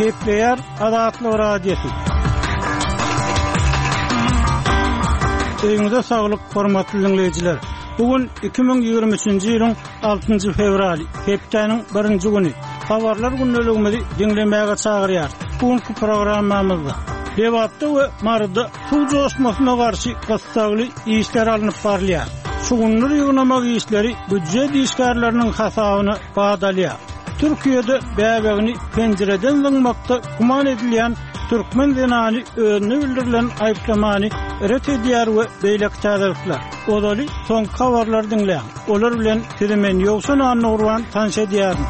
Gepleýär Azatlyk Radiosy. Öýüňize saglyk, hormatly diňleýjiler! Bu gün 2023-nji ýylyň altynjy fewraly, hepdäniň birinji güni. Habarlar gündeligimizi diňlemäge çagyrýarys. Bu günki programmamyzda Lebapda we Maryda suw joşmasyna garşy gyssagly işler alnyp barylýar. Şugundyr ýygnamak işleri býujet işgärleriniň hasabyna bat alýar. Türkiýede bäbegini penjireden zyňmakda güman edilýän türkmen zenany özüne bildirilen aýyplamany ret edýär we beýleki täzelikler. Ozaly soňky habarlary diňläň. Olar bilen sizi men Ýowşan Annagurban tanyş edýärin.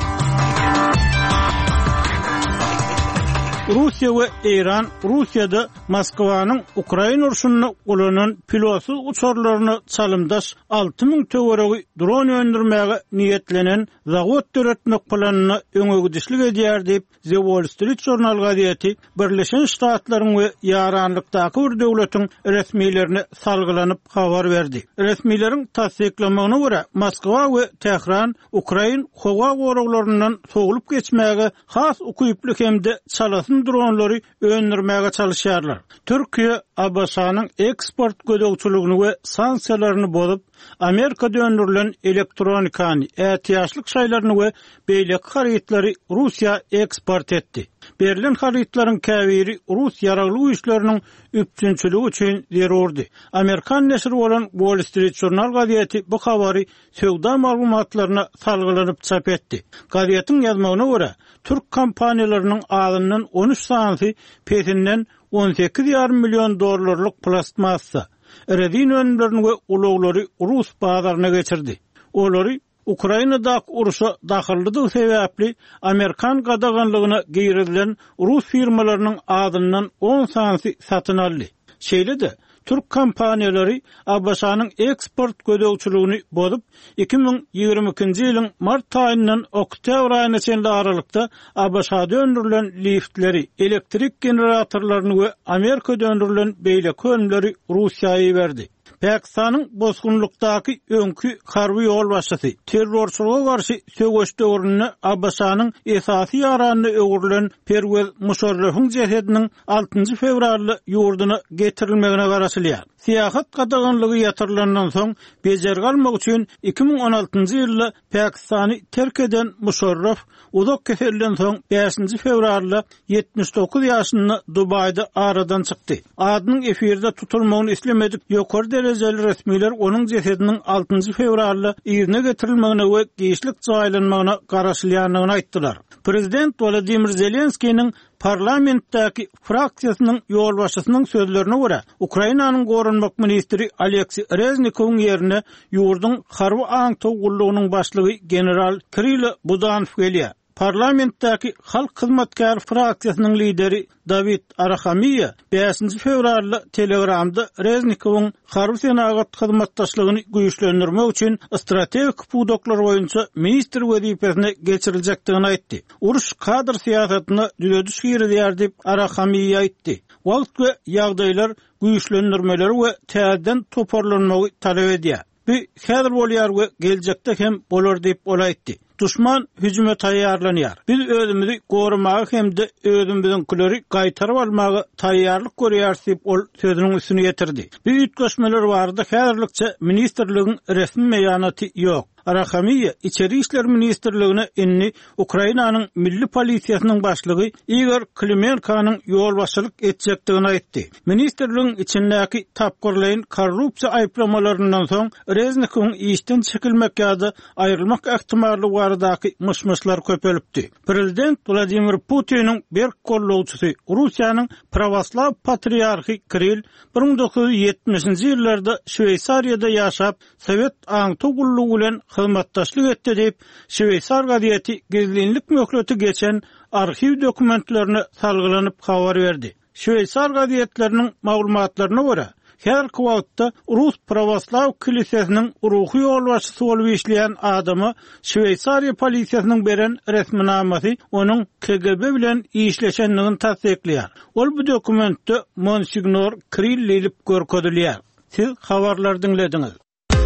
Russiýa we Eýran Russiýada Moskwanyň Ukraina urşunda ulanan pilotsyz uçarlaryna çalymdaş 6000 töweregi dron öndürmäge niýetlenen zawod döretmek planyna öňegidişlik edýär diýip, The Wall Street Journal gazeti Birleşen Ştatlaryň we ýaranlykdaky bir döwletiň resmilerine salgylanyp habar berdi. Resmileriň tassyklamagyna görä, Moskwa we Tähran ukrain howa goraglaryndan sowlup geçmäge has ukyply hem-de çalasyn dronlary öndürmäge çalyşýarlar. Türkiýe ABŞ-nyň eksport gözegçiligini we sanksiýalaryny bozup, Amerikada öndürilen elektronikany, ätiýaçlyk şaýlaryny we beýleki harytlary Russiýa eksport etdi. Berlen harytlaryň käbiri rus ýaragly güýçleriniň üpjünçiligi üçin zerurdy. Amerikan neşiri bolan Wall Street Journal gazeti bu habary söwda maglumatlaryna salgylanyp çap etdi. Gazetiň ýazmagyna görä, türk kompaniýalarynyň azyndan on üç sanysy pesinden 18 ýarym million dollarlyk plastmassa, rezin önümlerini we ulaglary rus bazaryna geçirdi. Olary Ukrainadaky urşa dahyllydygy sebäpli amerikan gadaganlygyna girizilen rus firmalarynyň azyndan on sanysy satyn aldy. Şeýle-de, türk kompaniýalary ABŞ-nyň eksport gözegçiligini bozup, 2022-nji ýylyň mart aýyndan oktýabr aýyna çenli aralykda ABŞ-da öndürilen liftleri, elektrik generatorlaryny we Amerikada öndürilen beýleki önümleri Russiýa iberdi. Pakistanyň bosgunlykdaky öňki harby ýolbaşçysy, terrorçylyga garşy söweş döwründe ABŞ-nyň esasy ýaranyna öwrülen Perwez Muşarrafyň jesediniň altynjy fewralda ýurduna getirilmegine garaşylýar. Syýahat gadaganlygy ýatyrylandan soň, bejergi almak üçin 2016-njy ýylda Pakistany terk eden Muşarraf uzak keselden soň bäşinji fewralda 79 ýaşynda Dubaýda aradan çykdy. Adynyň efirde tutulmagyny islemedik ýokary derejeli resmiler onuň jesediniň altynjy fewralda yzyna getirilmegine we giçlik jaýlanmagyna garaşylýandygyny aýtdylar. Prezident Wolodymyr Zelenskiniň Parlamentdäki fraksiýasynyň ýolbaşçysynyň sözlerine görä, Ukrainanyň goranmak ministri Oleksiý Reznikowyň ýerine ýurduň harby aňtaw gullugynyň başlygy general Kirilo Budanow gelýär. Parlamentdäki Halk hyzmatkäri fraksiýasynyň lideri Dawid Arahamiýa bäşinji fewralda Telegramda Reznikowyň harby-senagat hyzmatdaşlygyny güýçlendirmek üçin strategik pudaklar boýunça ministr wezipesine geçiriljekdigini aýtdy. Uruş kadr syýasatyna düzediş girizýär diýip, Arahamiýa aýtdy. Wagt we ýagdaýlar güýçlendirmeleri we täzeden toparlanmagy talap edýär. Bu häzir bolýar we geljekde hem bolar diýip, ol aýtdy. Duşman hüjüme taýýarlanýar. Biz özümizi goramaga hem-de özümiziňkileri gaýtaryp almaga taýýarlyk görýäris diýip, ol sözüniň üstüni ýetirdi. Bu üýtgeşmeler barada häzirlikçe ministrligiň resmi beýanaty ýok. Arahamiýa Içeri işler ministrligine indi Ukrainanyň Milli polisiýasynyň başlygy Igor Klimenkonyň ýolbaşçylyk etjekdigini aýtdy. Ministrligiň içindäki tapgyrlaýyn korrupsiýa aýyplamalaryndan soň Reznikowyň işden çekilmek ýa-da aýrylmak ähtimallygy baradaky myş-myşlar köpelipdi. Prezident Wladimir Putiniň berk gollawçysy, Russiýanyň prawoslaw patriarhy Kirill 1970-nji ýyllarda Şweýsariýada ýaşap, sowet aňtaw gullugy bilen hyzmatdaşlyk etdi diýip, şweýsar gazeti gizlinlik möhleti geçen arhiw dokumentlerine salgylanyp habar berdi. Şweýsar gazetleriniň maglumatlaryna görä, häzirki wagtda Rus prawoslaw kilisesiniň ruhy ýolbaşçysy bolup işleýän adama Şweýsariýa polisiýasynyň beren resminamasy onuň KGB bilen işleşendigini tassyklaýar. Ol bu dokumentde Monsignor Krill diýlip görkezilýär. Siz habarlary diňlediňiz.